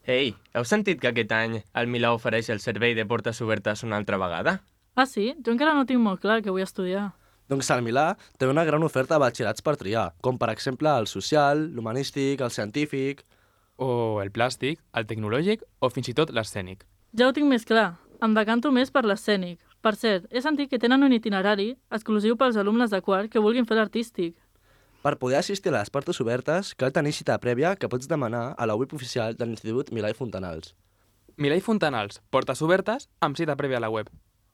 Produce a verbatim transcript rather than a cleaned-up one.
Ei, heu sentit que aquest any el Milà ofereix el servei de portes obertes una altra vegada? Ah, sí? Jo encara no tinc molt clar què vull estudiar. Doncs el Milà té una gran oferta de batxillerats per triar, com per exemple el social, l'humanístic, el científic... O el plàstic, el tecnològic o fins i tot l'escènic. Ja ho tinc més clar. Em decanto més per l'escènic. Per cert, he sentit que tenen un itinerari exclusiu pels alumnes de quart que vulguin fer l'artístic. Per poder assistir a les portes obertes, cal tenir cita prèvia que pots demanar a la web oficial de l'Institut Milà i Fontanals. Milà i Fontanals, portes obertes amb cita prèvia a la web.